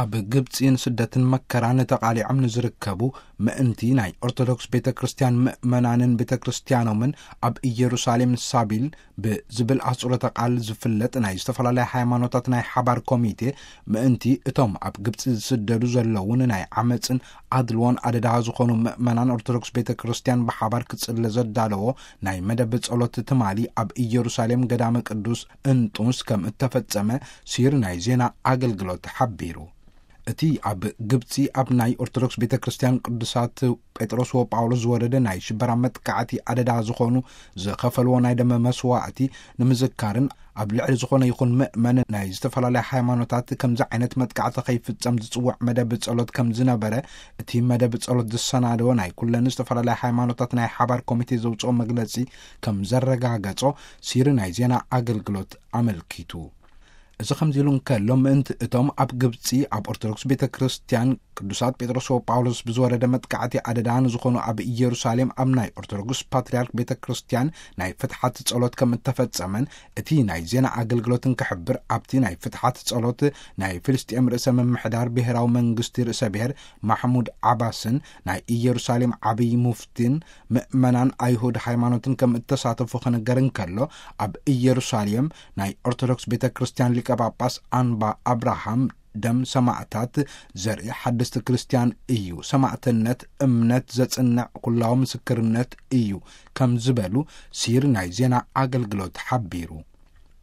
ኣብ ግብጺ ንስደትን መከራን ተቓሊዖም ንዝርከቡ ምእንቲ ናይ ኦርቶዶክስ ቤተ ክርስቲያን ምእመናንን ቤተ ክርስቲያኖምን፣ ኣብ ኢየሩሳሌም ሳቢል ብዝብል ኣህጽሮተ ቃል ዝፍለጥ ናይ ዝተፈላለያ ሃይማኖታት ናይ ሓባር ኮሚቴ፣ ምእንቲ እቶም ኣብ ግብጺ ዝስደዱ ዘለውን ናይ ዓመጽን ኣድልዎን ኣደዳ ዝኾኑ ምእመናን ኦርቶዶክስ ቤተ ክርስቲያን ብሓባር ክጽለ ዘዳለዎ ናይ መደብ ጸሎት ትማሊ ኣብ ኢየሩሳሌም ገዳመ ቅዱስ እንጡንስ ከም እተፈጸመ ሲር ናይ ዜና ኣገልግሎት ሓቢሩ። እቲ ኣብ ግብጺ ኣብ ናይ ኦርቶዶክስ ቤተ ክርስቲያን ቅዱሳት ጴጥሮስ ወጳውሎስ ዝወረደ ናይ ሽበራ መጥቃዕቲ ኣደዳ ዝኾኑ ዝኸፈልዎ ናይ ደመ መስዋዕቲ ንምዝካርን፣ ኣብ ልዕሊ ዝኾነ ይኹን ምእመን ናይ ዝተፈላለያ ሃይማኖታት ከምዚ ዓይነት መጥቃዕቲ ከይፍጸም ዝጽውዕ መደብ ጸሎት ከም ዝነበረ፣ እቲ መደብ ጸሎት ዝሰናደወ ናይ ኩለን ዝተፈላለያ ሃይማኖታት ናይ ሓባር ኮሚቴ ዘውጽኦ መግለጺ ከም ዘረጋገጾ ሲሪ ናይ ዜና ኣገልግሎት ኣመልኪቱ። እዚ ከምዚ ኢሉ እንከሎ፣ ምእንቲ እቶም ኣብ ግብጺ ኣብ ኦርቶዶክስ ቤተ ክርስቲያን ቅዱሳት ጴጥሮስ ወጳውሎስ ብዝወረደ መጥቃዕቲ ኣደዳ ንዝኾኑ፣ ኣብ ኢየሩሳሌም ኣብ ናይ ኦርቶዶክስ ፓትርያርክ ቤተ ክርስቲያን ናይ ፍትሓት ጸሎት ከም እተፈጸመን እቲ ናይ ዜና ኣገልግሎትን ክሕብር፣ ኣብቲ ናይ ፍትሓት ጸሎት ናይ ፍልስጤም ርእሰ ምምሕዳር ብሔራዊ መንግስቲ ርእሰ ብሔር ማሕሙድ ዓባስን ናይ ኢየሩሳሌም ዓብዪ ሙፍቲን ምእመናን ኣይሁድ ሃይማኖትን ከም እተሳተፉ ክንገር እንከሎ፣ ኣብ ኢየሩሳሌም ናይ ኦርቶዶክስ ቤተ ክርስቲያን ሊቀ ጳጳስ ኣንባ ኣብርሃም ደም ሰማዕታት ዘርኢ ሓደስቲ ክርስቲያን እዩ፣ ሰማዕትነት እምነት ዘጽንዕ ኩላዊ ምስክርነት እዩ ከም ዝበሉ ሲር ናይ ዜና ኣገልግሎት ሓቢሩ።